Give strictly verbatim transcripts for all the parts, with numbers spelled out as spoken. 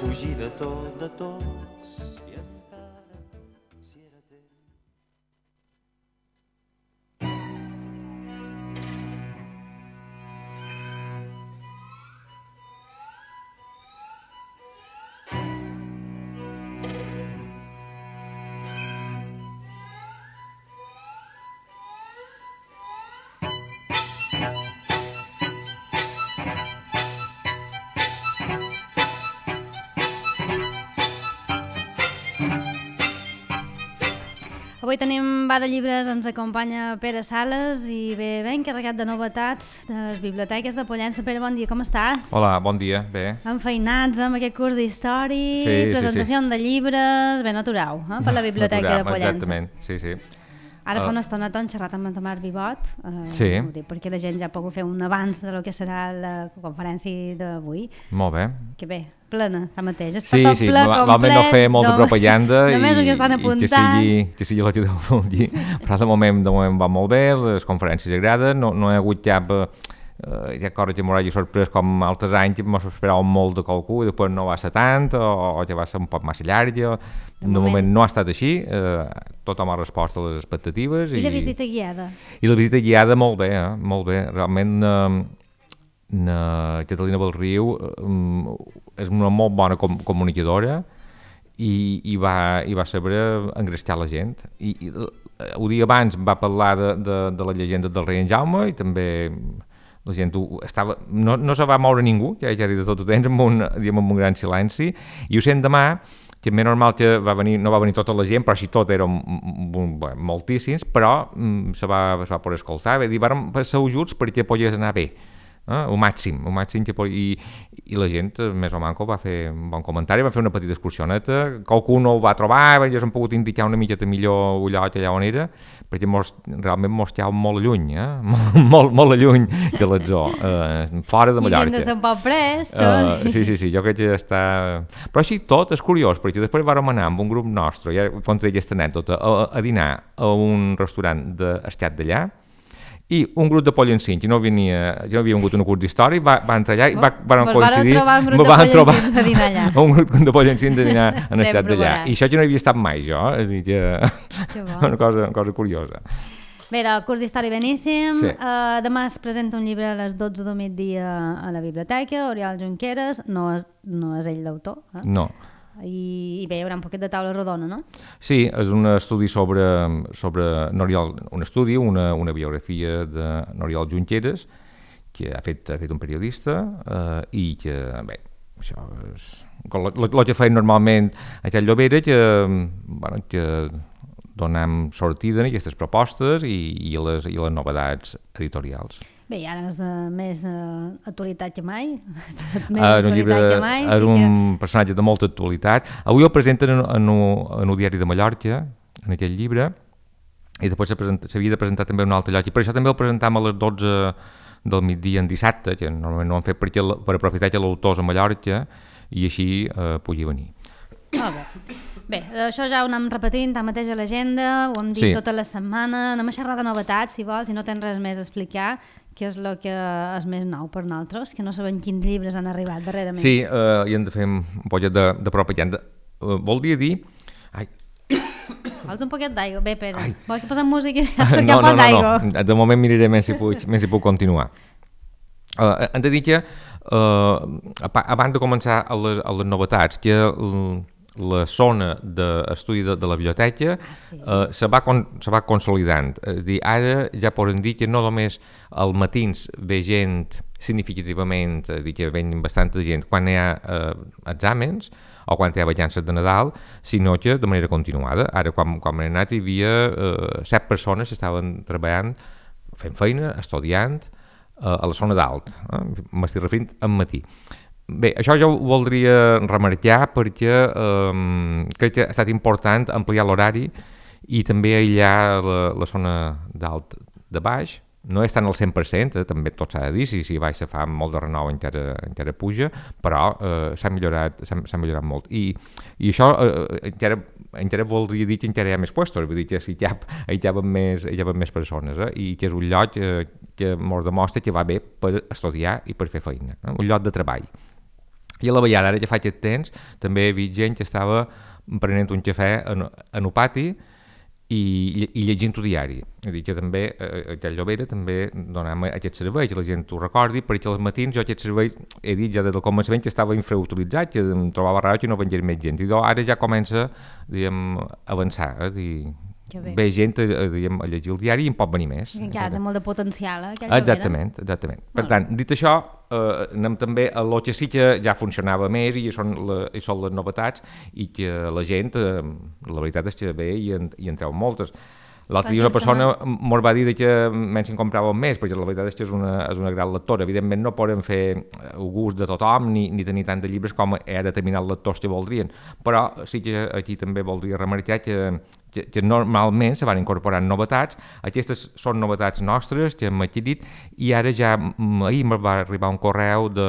fugir de tot, de tots, i encara si era temps. Avui tenim Va de Llibres, ens acompanya Pere Sales i bé, ben carregat de novetats de les biblioteques de Pollença. Pere, bon dia, com estàs? Hola, bon dia, bé. Enfeinats amb aquest curs d'història, sí, presentació sí, sí. de llibres, ben aturau, eh, per la biblioteca Aturam, de Pollença. Exactament, sí, sí. Ara fa Uh, una estoneta hem xerrat amb en Tomàs Vivot, eh, Sí. ho dic perquè la gent ja ha pogut fer un avanç de lo que serà la conferència d'avui, Molt bé. que bé, plena, tanmateix, està Sí, tot sí, ple, val complet. més no fer molta no- propaganda i, només el que estan i que apuntats. sigui, que sigui el que deu dir. Però de moment, de moment va molt bé, les conferències agraden, no, no hi ha hagut cap... Uh, ja coses que m'haurà sorprès com altres anys que m'esperàvem molt de qualcú i després no va ser tant o, o ja va ser un poc massa llarg. De, de moment. moment no ha estat així, uh, tothom ha respost a les expectatives. I, I la visita guiada? I la visita guiada molt bé, eh? Molt bé. Realment eh, na Catalina Belriu eh, és una molt bona com comunicadora i, i, va, i va saber engrescar la gent. I, i un dia abans va parlar de, de, de la llegenda del rei en Jaume i també la gent ho estava, no, no se va moure ningú, ja era de tot el temps, amb un, diguem, amb un gran silenci, i ho sent demà, que és normal que va venir, no va venir tota la gent, però així tot eren moltíssims, però mm, se va, se va poder escoltar, va dir, vàrem ser ajuts perquè pogués anar bé, eh? el màxim, el màxim que pot... I, i la gent, més o manco, va fer un bon comentari, va fer una petita excursioneta, qualcú no el va trobar, ja s'han pogut indicar una miqueta millor el lloc allà on era, perquè mos, realment mos quedàvem molt lluny, eh? molt, molt, molt lluny de la zoo, eh? fora de Mallorca. I hem de ser un poc prest. Uh, sí, sí, sí, jo crec que està... Però així tot és curiós, perquè després vàrem anar amb un grup nostre, ja contra aquesta anècdota, a, a dinar a un restaurant d'estat d'allà, i un grup de Pollençins, que no venia, jo no havia vingut a un curs d'història, va, va entrar allà i va, van coincidir... trobar un grup de Pollençins a dinar allà. Un grup de Pollençins a dinar en estat d'allà. I això jo no havia estat mai, jo. És a dir, que... Que bo. una, cosa, una cosa curiosa. Bé, del curs d'història beníssim. Sí. Uh, demà es presenta un llibre a les dotze del migdia a la biblioteca, Oriol Junqueras, no és, no és ell l'autor. Eh? No. I, I bé, hi haurà un poquet de taula rodona, no? Sí, és un estudi sobre, sobre N'Oriol, un estudi, una, una biografia de N'Oriol Junqueras, que ha fet, ha fet un periodista eh, i que, bé, això és... El que feien normalment a Xat Llobera, que, bueno, que donem sortida a aquestes propostes i, i, les, i les novetats editorials. Bé, i ara és uh, més uh, actualitat que mai. més uh, actualitat llibre, que mai. És sí un que... personatge de molta actualitat. Avui el presenten en, en, en el diari de Mallorca, en aquell llibre, i després s'havia de presentar també un altre lloc. I per això també el presentam a les dotze del migdia en dissabte, que normalment no han fet perquè, per aprofitar que l'autor és a Mallorca i així eh, pugui venir. Molt bé. Bé, això ja ho anem repetint, tanmateix a l'agenda, ho hem dit Sí. tota la setmana, anem a xerrar de novetats, si vols, si no tens res més a explicar, que és el que és més nou per nosaltres, que no sabem quins llibres han arribat darrerament. Sí, eh, i hem de fer un poquet de, de propaganda. Uh, voldria dir... Ai, Vols un poquet d'aigua? Bé, Pere, Ai. vols que posem música? Cercar no, un pot no, d'aigua. no, no, de moment miraré més si puc, més si puc continuar. Uh, hem de dir que uh, abans de començar a les, a les novetats, que uh, la zona d'estudi de, de la biblioteca ah, sí. uh, se, va con, se va consolidant. És dir, ara ja podem dir que no només als matins ve gent significativament, dir que ven bastanta gent quan hi ha uh, exàmens o quan hi ha vacances de Nadal, sinó que de manera continuada. Ara, quan, quan hem anat, hi havia uh, set persones que estaven treballant, fent feina, estudiant, uh, a la zona dalt. Eh? M'estic referint al matí. Bé, això jo ho voldria remarcar perquè eh, crec que ha estat important ampliar l'horari i també aïllar la, la zona d'alt de baix. No és tant al cent per cent, eh, també tot s'ha de dir, si, si baix se fa molt de renou encara, encara puja, però eh, s'ha millorat, s'ha millorat molt. I, i això eh, encara, encara voldria dir que encara hi ha més puestos, vull dir que si hi ha, hi ha més, hi ha més persones, eh, i que és un lloc eh, que ens demostra que va bé per estudiar i per fer feina, eh, un lloc de treball. I a la vegada, ara ja fa aquest temps, també he vist gent que estava prenent un cafè en, en el pati i, i llegint el diari. És a dir, que també, eh, aquell Llobera també donàvem aquest servei, que la gent ho recordi, perquè als matins jo aquest servei he dit ja des del començament que estava infrautilitzat, que em trobava raro que no vengués més gent. I doncs ara ja comença, diguem, a avançar, eh, dir, ve gent a, a, diguem, a llegir el diari i en pot venir més. Que encara té molt de potencial, eh, aquell Exactament, exactament. Per tant, dit això, eh, anem també a lo que sí que ja funcionava més i són, la, i són les novetats i que la gent, eh, la veritat és que ve i en, i en treu moltes. L'altre dia una persona mos va dir que menys en compràvem més, perquè la veritat és que és una, és una gran lectora. Evidentment no podem fer el gust de tothom ni, ni tenir tant de llibres com hi ha determinats lectors que voldrien, però sí que aquí també voldria remarcar que Que, que normalment se van incorporant novetats. Aquestes són novetats nostres que hem adquirit i ara ja, ahir em va arribar un correu de,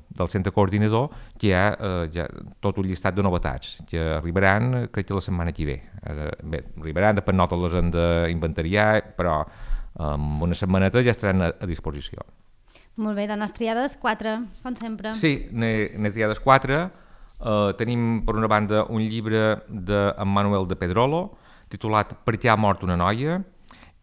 del centre coordinador que hi ha eh, ja tot un llistat de novetats que arribaran, crec que la setmana que ve. Ara, bé, arribaran, després no totes les hem d'inventariar, però en una setmaneta ja estaran a, a disposició. Molt bé, dones triades, quatre, com sempre. Sí, n'he triades quatre. Uh, tenim, per una banda, un llibre d'en Manuel de Pedrolo, titulat Per què ha mort una noia,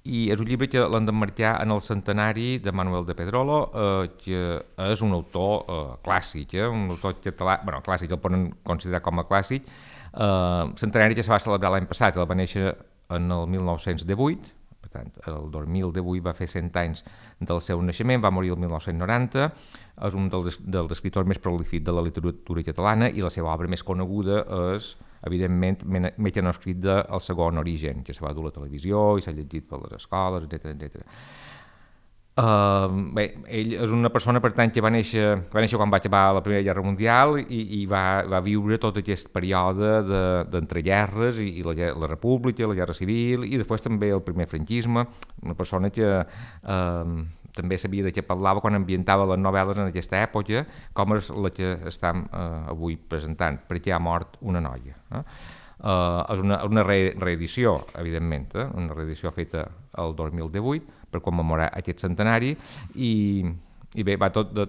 i és un llibre que l'hem d'emmarcar en el centenari de Manuel de Pedrolo, eh, que és un autor eh, clàssic, eh, un autor català, bueno, clàssic, el poden considerar com a clàssic, eh, centenari que se va celebrar l'any passat, el va néixer en el mil nou-cents divuit, per tant, el dos mil divuit va fer cent anys del seu naixement, va morir el mil nou-cents noranta, és un dels, dels escriptors més prolífics de la literatura catalana i la seva obra més coneguda és, evidentment, Mecanoscrit del segon origen, que se va dur a la televisió i s'ha llegit per les escoles, etcètera, etcètera. Uh, bé, ell és una persona, per tant, que va néixer, va néixer quan va acabar la Primera Guerra Mundial i, i va, va viure tot aquest període d'entreguerres i, i la, la República, la Guerra Civil i després també el primer franquisme, una persona que uh, també sabia de què parlava quan ambientava les novel·les en aquesta època, com és la que estem uh, avui presentant, Per què ha mort una noia. Eh? Uh, és una, una re reedició, evidentment, eh? Una reedició feta el dos mil divuit per commemorar aquest centenari i, i bé, va tot de,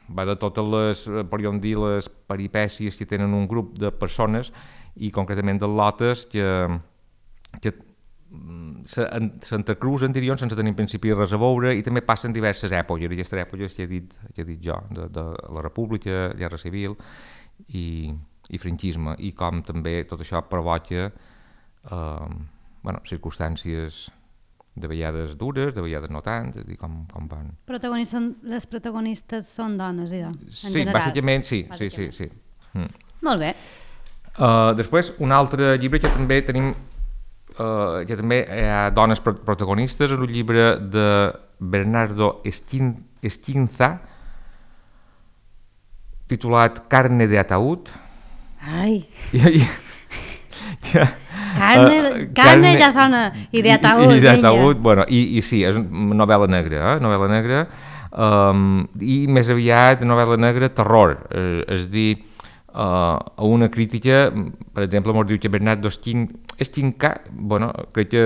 va de totes les, podríem dir, les peripècies que tenen un grup de persones i concretament de lotes que, que s'entrecruzen, diríem, sense tenir en principi res a veure i també passen diverses èpoques, i aquestes èpoques que he dit, que he dit jo, de, de la República, Guerra Civil i, i franquisme, i com també tot això provoca eh, bueno, circumstàncies de vegades dures, de vegades no tant, és a dir, com, com van... Protagonistes són, les protagonistes són dones, idò, en sí, general. bàsicament sí, bàsicament. sí, sí, sí. Mm. Molt bé. Uh, després, un altre llibre que també tenim, uh, que també hi ha dones protagonistes, és un llibre de Bernardo Esquinza, titulat Carne de ataúd. Ai... I, i, ja, Carne, uh, carne, carne ja sona, i d'ataúd. I, i d'ataúd, bueno, i, i sí, és una novel·la negra, eh? novel·la negra, um, i més aviat novel·la negra terror, eh, és dir, uh, a una crítica, per exemple, ens diu que Bernardo Esquinca, bueno, crec que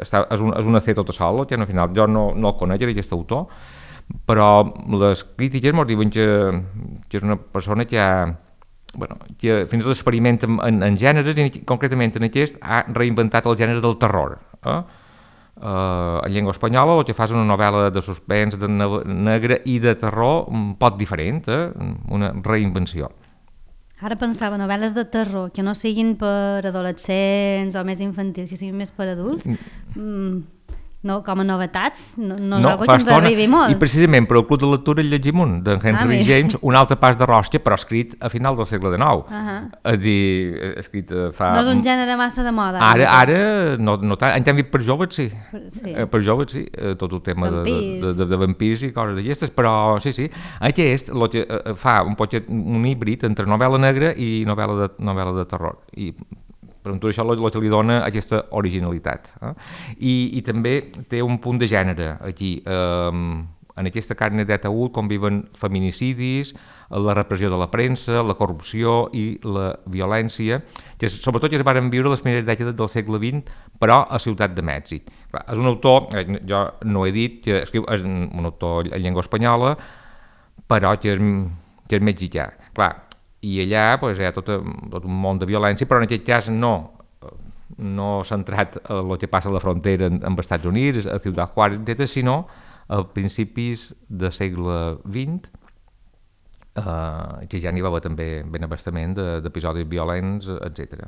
està, és, un, és una C tota sola, que al final jo no, no el conec, aquest autor, però les crítiques ens diuen que, que és una persona que ha bueno, que fins i tot experimenta en, en gèneres i concretament en aquest ha reinventat el gènere del terror. Eh? Uh, en llengua espanyola el que fa és una novel·la de suspens, de negre i de terror un poc diferent, eh? Una reinvenció. Ara pensava novel·les de terror que no siguin per adolescents o més infantils, que siguin més per adults. Mm. No, com a novetats, no, no és no, algo que ens arribi molt. I precisament per el Club de Lectura el llegim un, d'en Henry ah, James, un altre pas de rosca, però escrit a final del segle dinou. Uh -huh. És dir, escrit fa... No és un gènere massa de moda. Ara, ara no, no tant. En canvi, per joves sí. sí. Per joves sí, tot el tema vampirs. De, de, de, de vampirs i coses d'aquestes, però sí, sí. Aquest lo que, fa un poc un híbrid entre novel·la negra i novel·la de, novel·la de terror. I per tot això el que li dona aquesta originalitat. Eh? I, I també té un punt de gènere aquí. Eh, en aquesta Carne d'ataúd conviven feminicidis, la repressió de la premsa, la corrupció i la violència, que sobretot ja es van viure les primeres dècades del segle vint, però a Ciutat de Mèxic. És un autor, jo no he dit, que escriu, és un autor en llengua espanyola, però que és que és mexicà. Clar, i allà pues, hi ha tot, tot un món de violència, però en aquest cas no, no centrat en el que passa a la frontera amb els Estats Units, a Ciutat Juárez, etcètera, sinó a principis del segle vint, Uh, que ja n'hi va haver també ben abastament d'episodis violents, etcètera.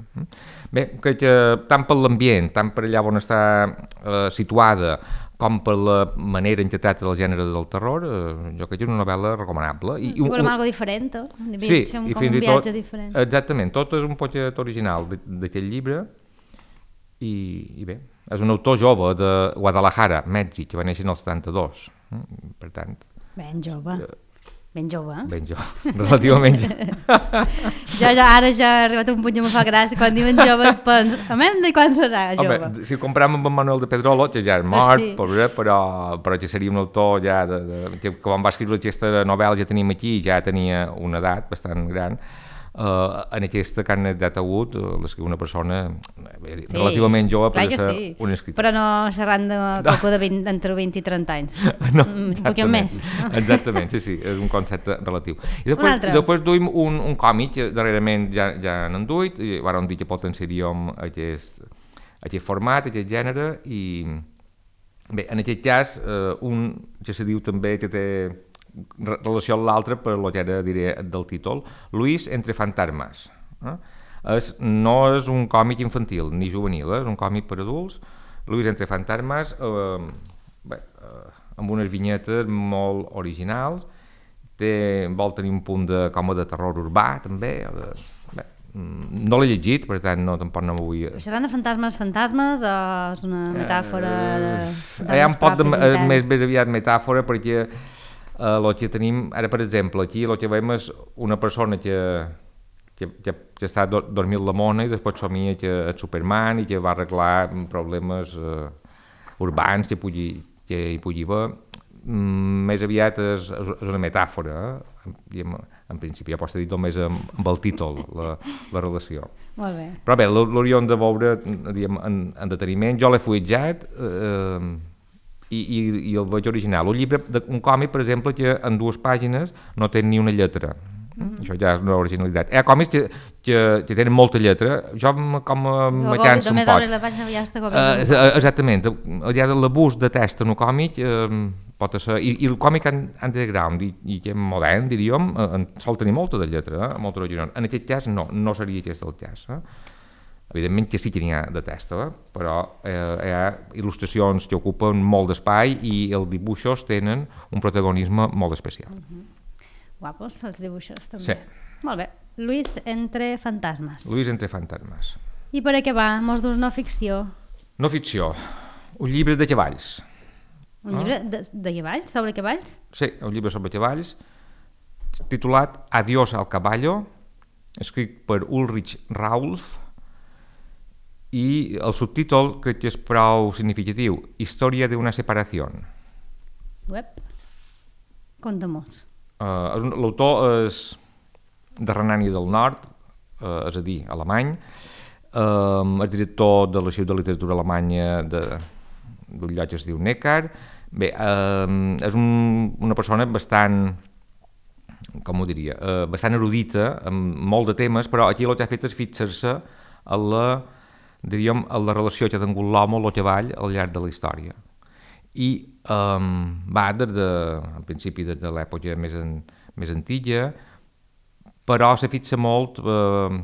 Bé, crec que tant per l'ambient, tant per allà on està uh, situada, com per la manera en què tracta el gènere del terror, uh, jo crec que és una novel·la recomanable. I, sí, un, volem algo diferent, eh? Sí, Fem i com fins un i viatge tot, diferent. Exactament, tot és un poquet original d'aquest llibre, i, i bé, és un autor jove de Guadalajara, Mèxic, que va néixer en el setanta-dos, per tant... Ben jove. Uh, Ben jove, eh? Ben jove, relativament jove. jo ja, ara ja he arribat a un punt que me fa gràcia, quan diuen jove penso, a mi de quan serà jove? Home, si ho comparem amb en Manuel de Pedrolo, que ja és mort, sí. pobre, però, però que seria un autor ja, de, de, que quan va escriure aquesta novel·la ja teníem aquí, ja tenia una edat bastant gran. Uh, en aquesta carnet d'ataúd uh, l'escriu una persona sí, relativament jove per ser sí. un escriptor. Però no xerrant de qualcú de vint, entre vint i trenta anys. No, un poquet més. No? Exactament, sí, sí, és un concepte relatiu. I després, després duim un, un còmic que darrerament ja, ja n'han duit, i vam dir que potenciaríem aquest, aquest format, aquest gènere, i bé, en aquest cas, uh, un que se diu també que té relació amb l'altre per lo que era, diré, del títol, Luis entre fantasmes. Eh? És, no és un còmic infantil ni juvenil, eh? És un còmic per adults. Luis entre fantasmes, eh, bé, eh, amb unes vinyetes molt originals, té, vol tenir un punt de, com a de terror urbà, també. De, bé, no l'he llegit, per tant, no, tampoc no m'ho vull... Seran de fantasmes, fantasmes, o és una metàfora? Eh, hi ha un poc de, de més ben aviat metàfora, perquè Uh, el que tenim, ara per exemple, aquí el que veiem és una persona que, que, que, que està do, dormint la mona i després somia que és Superman i que va arreglar problemes uh, urbans que, pugui, que hi pugui haver. Mm, més aviat és, és una metàfora, eh? I en, en principi ja pots dir només amb, amb el títol, la, la relació. Molt bé. Però bé, l'hauríem de veure diguem, en, en deteniment. Jo l'he fuitjat, eh, I, i, i el veig original. Un llibre, de, un còmic, per exemple, que en dues pàgines no té ni una lletra. Mm-hmm. Això ja és una originalitat. Hi ha còmics que, que, que tenen molta lletra. Jo com a me canso un poc. La pàgina ja està uh, exactament. Ja l'abús de text en un còmic uh, pot ser... I, i el còmic underground i, i que és modern, diríem, uh, sol tenir molta de lletra, eh? Molta original. En aquest cas no, no seria aquest el cas. Eh? Evidentment que sí que n'hi ha de testa, eh? Però eh, hi ha il·lustracions que ocupen molt d'espai i els dibuixos tenen un protagonisme molt especial. Uh-huh. Guapos, els dibuixos també. Sí. Molt bé. Luis entre fantasmes. Luis entre fantasmes. I per acabar, mos dus no ficció. No ficció. Un llibre de cavalls. Un ah. llibre de, de cavalls? Sobre cavalls? Sí, un llibre sobre cavalls titulat Adiós al caballo, escrit per Ulrich Raulf, i el subtítol crec que és prou significatiu, Història d'una separació. Web? Conta-mos. Uh, L'autor és de Renània del Nord, uh, és a dir, alemany, uh, és director de l'Arxiu de Literatura Alemanya d'un lloc que es diu Neckar. Bé, uh, és un, una persona bastant, com ho diria, uh, bastant erudita, amb molt de temes, però aquí el que ha fet és fixar-se a la diríem, la relació que ha tingut l'home o el cavall al llarg de la història. I um, va des de, en principi, des de l'època més, en, més antiga, però se fixa molt, eh,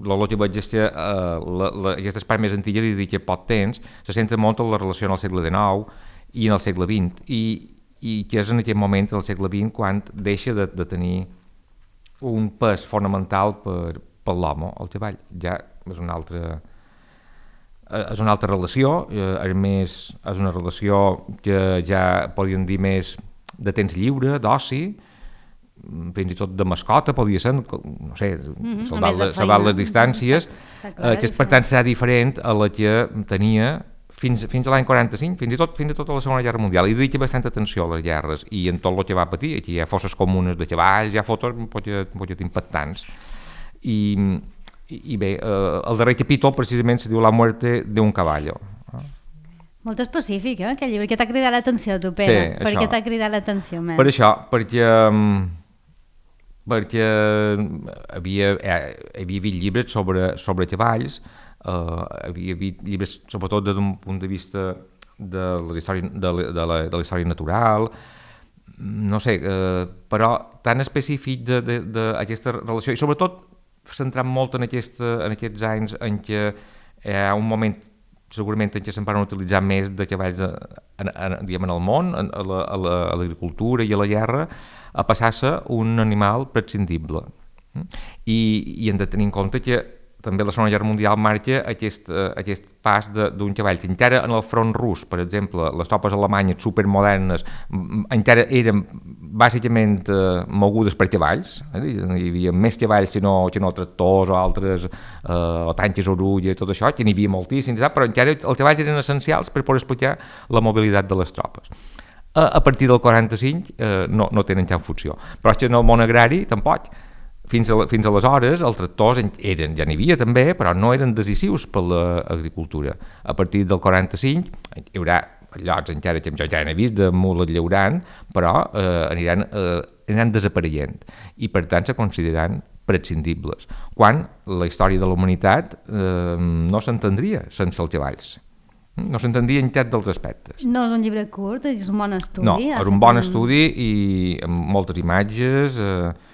el que veig és que eh, aquestes parts més antigues, i dic que pot temps, se centra molt en la relació en el segle dinou i en el segle vint, i, i que és en aquest moment, en el segle vint, quan deixa de, de tenir un pes fonamental per, per l'home, el cavall. Ja és una altra, és una altra relació, a més és una relació que ja podríem dir més de temps lliure, d'oci, fins i tot de mascota, podria ser, no sé, mm-hmm, salvar les distàncies, clar, que per tant serà diferent a la que tenia fins, fins a l'any quaranta-cinc, fins i tot fins a tota la Segona Guerra Mundial. I dedica bastanta atenció a les guerres i en tot el que va patir. Aquí hi ha fosses comunes de cavalls, hi ha fotos molt impactants. I I, i bé, eh, el darrer capítol precisament se diu La muerte de un caballo. Molt específic, eh, aquell llibre. Que t'ha cridat l'atenció, tu, Pere? Sí, per què t'ha cridat l'atenció, men? Per això, perquè um, perquè havia, eh, havia hagut llibres sobre, sobre cavalls, eh, havia hagut llibres sobretot des d'un punt de vista de la història, de la, de la, de la història natural, no sé, eh, però tan específic d'aquesta relació, i sobretot centrant molt en, aquesta, en aquests anys en què hi ha un moment segurament en què se'n van utilitzar més de cavalls de, en, en, diguem, en el món, en, a l'agricultura la, a i a la guerra, a passar-se un animal prescindible. I, i hem de tenir en compte que també la Segona Guerra Mundial marca aquest, uh, aquest pas d'un cavall que encara en el front rus, per exemple, les tropes alemanyes supermodernes encara eren bàsicament uh, mogudes per cavalls, eh? Hi havia més cavalls que no, que no tractors o altres, uh, o tanques orulla i tot això, que n'hi havia moltíssims, però encara els cavalls eren essencials per poder explicar la mobilitat de les tropes. Uh, a partir del quaranta-cinc uh, no, no tenen cap funció, però és que en el món agrari tampoc. Fins, a, fins aleshores els tractors eren, ja n'hi havia també, però no eren decisius per l'agricultura. A partir del quaranta-cinc hi haurà llocs encara que jo ja n'he vist de mules llaurant, però eh, aniran, eh, aniran desapareixent i per tant se consideraran prescindibles, quan la història de la humanitat eh, no s'entendria sense els cavalls. No s'entendria en cap dels aspectes. No és un llibre curt, és un bon estudi. No, és un bon estudi i amb moltes imatges. Eh,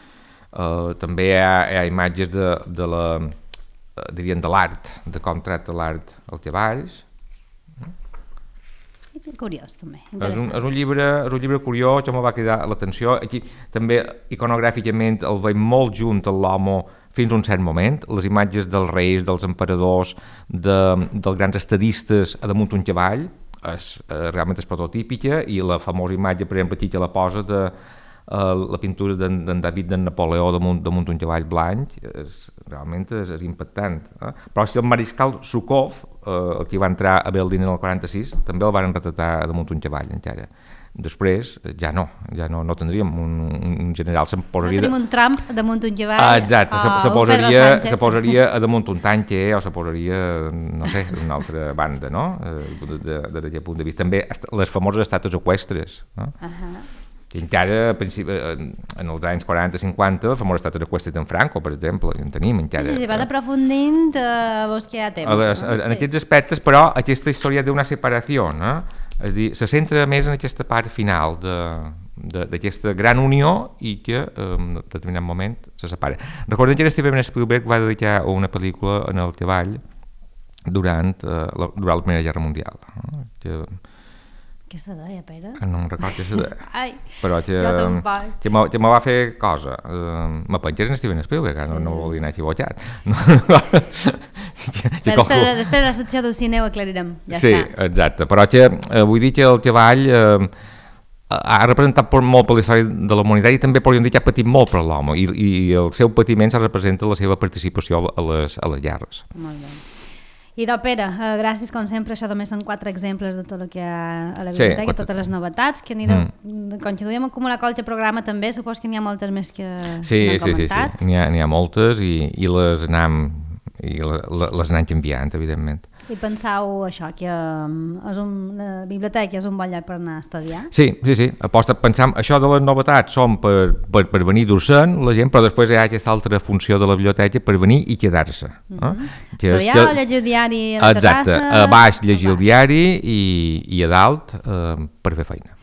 Uh, també hi ha, hi ha imatges de, de la, uh, dirien de l'art, de com tracta l'art els cavalls. Curiós, també. És un, és un llibre, és un llibre curiós, que me va cridar l'atenció. Aquí també iconogràficament el veiem molt junt a l'homo fins a un cert moment. Les imatges dels reis, dels emperadors, de, dels grans estadistes a damunt un cavall, és, uh, realment és prototípica, i la famosa imatge, per exemple, aquí que la posa de Uh, la pintura d'en David d'en Napoleó damunt, damunt un cavall blanc és, realment és, és impactant, eh? Però si el mariscal Zhukov, uh, el que va entrar a Berlín en el quaranta-sis, també el van retratar damunt un cavall encara. Després ja no, ja no, no tindríem un, un general, se'n posaria... No tenim un Trump damunt un cavall. Ah, exacte, se, se, posaria, se posaria a damunt un tanque o se posaria, no sé, d'una altra banda, no? D'aquest punt de vista. També les famoses estàtues eqüestres, no? Uh -huh. Que encara en els anys quaranta cinquanta el famós estàtua eqüestre d'en Franco, per exemple, en tenim encara. Sí, sí, vas aprofundint a vos que hi ha temps. Les, no? En sí. Aquests aspectes, però, aquesta història d'una separació, no? És a dir, se centra més en aquesta part final d'aquesta gran unió i que en determinat moment se separa. Recordem que Steven Spielberg va dedicar una pel·lícula en el cavall durant, uh, la, durant la Primera Guerra Mundial, no? Que, què se deia, Pere? No em recordo què se deia. Ai, però que, jo tampoc. Que, que me va fer cosa. Uh, me penjés en Steven Spielberg, no, no volia anar equivocat. No, després, després de la secció del cine ho aclarirem. Ja sí, està. Exacte. Però que, uh, vull dir que el cavall uh, ha representat molt per la història de la humanitat i també podríem dir que ha patit molt per l'home i, i el seu patiment se representa la seva participació a les, a les guerres. Molt bé. I doncs, Pere, eh, gràcies com sempre, això només són quatre exemples de tot el que hi ha a la biblioteca, sí, quatre... totes les novetats, que n'hi de... mm. continuem acumulant qualque programa també, supos que n'hi ha moltes més que sí, n'hem sí, comentat. Sí, sí, n'hi ha, n'hi ha moltes i, i les anem i les anem canviant, evidentment. I penseu això, que um, és un, la biblioteca és un bon lloc per anar a estudiar? Sí, sí, sí. Aposta, pensam, això de les novetats són per, per, per venir dur-se'n la gent, però després hi ha aquesta altra funció de la biblioteca per venir i quedar-se. Mm -hmm. eh? que estudiar que... o llegir el diari a la exacte, terrassa? Exacte, a baix llegir el diari i, i a dalt eh, per fer feina.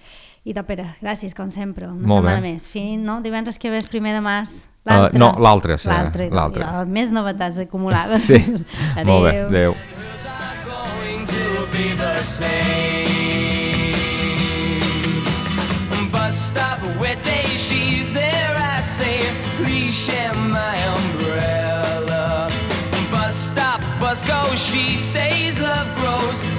I doncs, Pere, gràcies, com sempre, una Molt setmana bé. més. Fins, no? Divendres que ve és primer de març. Uh, no, l'altre, sí. L'altre. Més novetats acumulades. Sí, adéu. Molt bé, adéu. Bus stop, wet day, she's there, I say, please share my umbrella. Bus stop, bus goes, she stays, love grows.